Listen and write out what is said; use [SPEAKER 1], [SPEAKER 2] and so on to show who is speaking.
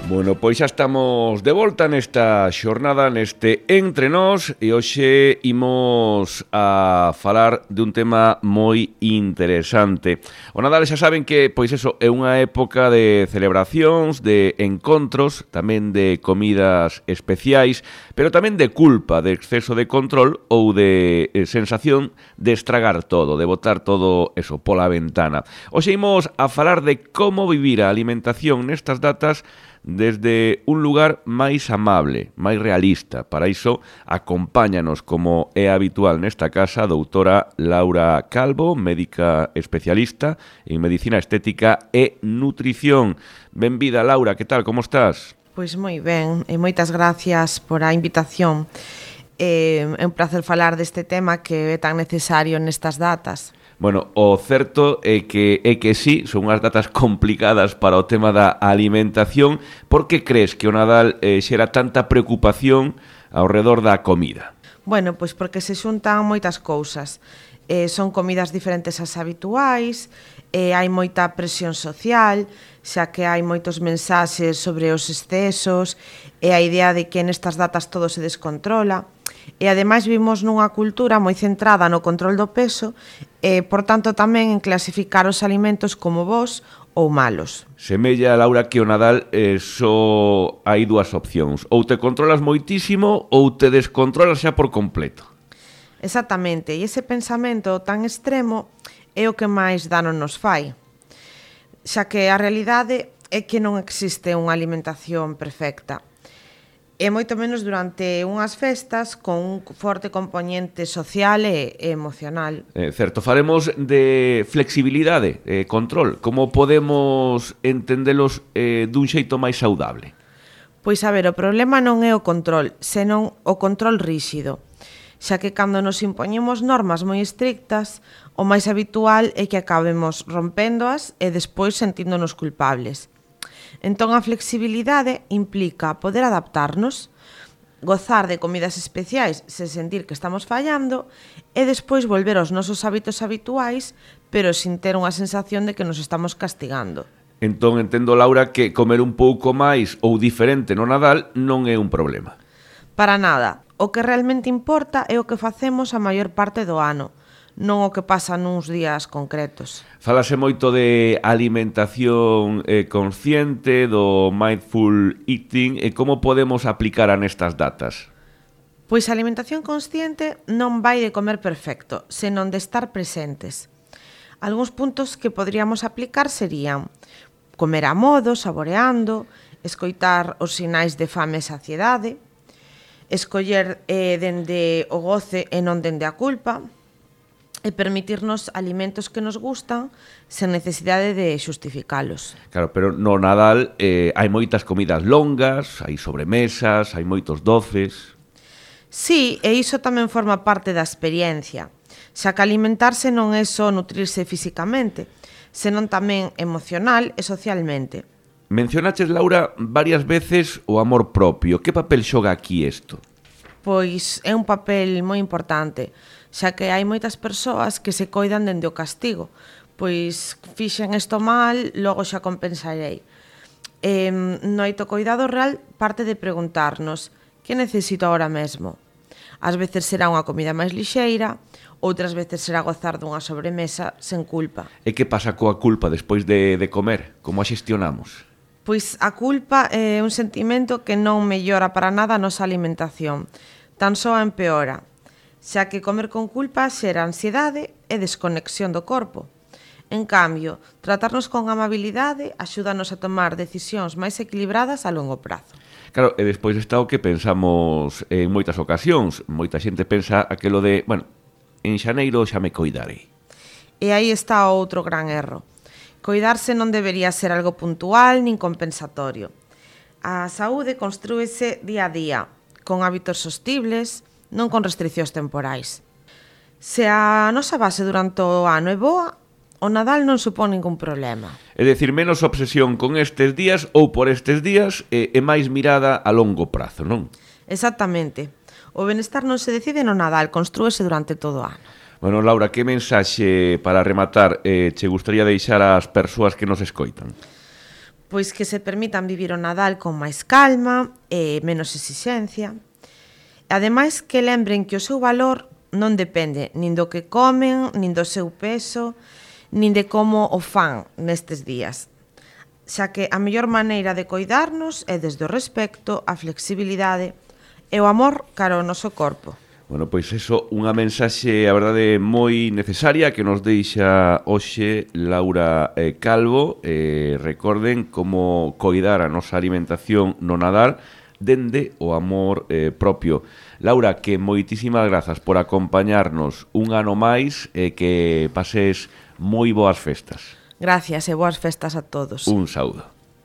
[SPEAKER 1] Bueno, pois xa estamos de volta nesta xornada, neste Entre Nós, e hoxe imos a falar dun tema moi interesante. O Nadal xa saben que, pois eso, é unha época de celebracións, de encontros, tamén de comidas especiais, pero tamén de culpa, de exceso de control ou de sensación de estragar todo, de botar todo eso pola ventana. Hoxe imos a falar de como vivir a alimentación nestas datas desde un lugar máis amable, máis realista. Para iso, acompáñanos, como é habitual nesta casa, a doutora Laura Calvo, médica especialista en medicina estética e nutrición. Benvida, Laura, que tal, como estás?
[SPEAKER 2] Pois moi ben, e moitas gracias por a invitación. É un placer falar deste tema que é tan necesario nestas datas.
[SPEAKER 1] Bueno, o certo é que sí, son unhas datas complicadas para o tema da alimentación. Por que crees que o Nadal xera tanta preocupación ao redor da comida?
[SPEAKER 2] Bueno, pois porque se xuntan moitas cousas. Son comidas diferentes ás habituais, hai moita presión social, xa que hai moitos mensaxes sobre os excesos, e a idea de que nestas datas todo se descontrola. E ademais vivimos nunha cultura moi centrada no control do peso e, por tanto, tamén en clasificar os alimentos como bons ou malos.
[SPEAKER 1] Semella, Laura, que o Nadal só hai dúas opcións. Ou te controlas moitísimo ou te descontrolas xa por completo.
[SPEAKER 2] Exactamente, e ese pensamento tan extremo é o que máis dano nos fai, xa que a realidade é que non existe unha alimentación perfecta. E moito menos durante unhas festas con un forte componente social e emocional.
[SPEAKER 1] Certo, faremos de flexibilidade, control. Como podemos entendelos dun xeito máis saudable?
[SPEAKER 2] Pois a ver, o problema non é o control, senón o control ríxido. Xa que cando nos impoñemos normas moi estrictas, o máis habitual é que acabemos rompéndoas e despois sentíndonos culpables. Entón, a flexibilidade implica poder adaptarnos, gozar de comidas especiais sen sentir que estamos fallando e despois volver aos nosos hábitos habituais, pero sin ter unha sensación de que nos estamos castigando.
[SPEAKER 1] Entón, entendo, Laura, que comer un pouco máis ou diferente no Nadal non é un problema.
[SPEAKER 2] Para nada. O que realmente importa é o que facemos a maior parte do ano, non o que pasa nuns días concretos.
[SPEAKER 1] Falase moito de alimentación consciente, do mindful eating, e como podemos aplicar a nestas datas?
[SPEAKER 2] Pois a alimentación consciente non vai de comer perfecto, senón de estar presentes. Algúns puntos que poderíamos aplicar serían comer a modo, saboreando, escoitar os sinais de fame e saciedade, escoller dende o goce e non dende a culpa, e permitirnos alimentos que nos gustan sen necesidade de xustificalos.
[SPEAKER 1] Claro, pero no Nadal hai moitas comidas longas, hai sobremesas, hai moitos doces.
[SPEAKER 2] Sí, e iso tamén forma parte da experiencia, xa que alimentarse non é só nutrirse físicamente, senón tamén emocional e socialmente.
[SPEAKER 1] Mencionaches, Laura, varias veces o amor propio. Que papel xoga aquí isto?
[SPEAKER 2] Pois é un papel moi importante, xa que hai moitas persoas que se coidan dende o castigo. Pois fixen isto mal, logo xa compensarei. No autocoidado real parte de preguntarnos que necesito agora mesmo. Ás veces será unha comida máis lixeira, outras veces será gozar dunha sobremesa sen culpa.
[SPEAKER 1] E que pasa coa culpa despois de comer? Como a xestionamos?
[SPEAKER 2] Pois a culpa é un sentimento que non mellora para nada a nosa alimentación, tan só a empeora, xa que comer con culpa xera ansiedade e desconexión do corpo. En cambio, tratarnos con amabilidade axúdanos a tomar decisións máis equilibradas a longo prazo.
[SPEAKER 1] Claro, e despois está o que pensamos en moitas ocasións. Moita xente pensa aquelo de, bueno, en xaneiro xa me coidarei.
[SPEAKER 2] E aí está outro gran erro. Coidarse non debería ser algo puntual nin compensatorio. A saúde construíse día a día, con hábitos sostibles, non con restriccións temporais. Se a nosa base durante o ano é boa, o Nadal non supón ningún problema.
[SPEAKER 1] É dicir, menos obsesión con estes días ou por estes días e máis mirada a longo prazo, non?
[SPEAKER 2] Exactamente. O benestar non se decide no Nadal, construíse durante todo o ano.
[SPEAKER 1] Bueno, Laura, que mensaxe para rematar che gustaría deixar ás persoas que nos escoitan?
[SPEAKER 2] Pois que se permitan vivir o Nadal con máis calma e menos exixencia. Ademais, que lembren que o seu valor non depende nin do que comen, nin do seu peso, nin de como o fan nestes días. Xa que a mellor maneira de coidarnos é desde o respecto, a flexibilidade e o amor cara ao noso corpo.
[SPEAKER 1] Bueno, pois eso, unha mensaxe, a verdade, moi necesaria que nos deixa hoxe Laura Calvo. Recorden como coidar a nosa alimentación no Nadal dende o amor propio. Laura, que moitísimas grazas por acompañarnos un ano máis e que pases moi boas festas.
[SPEAKER 2] Gracias e boas festas a todos.
[SPEAKER 1] Un saúdo.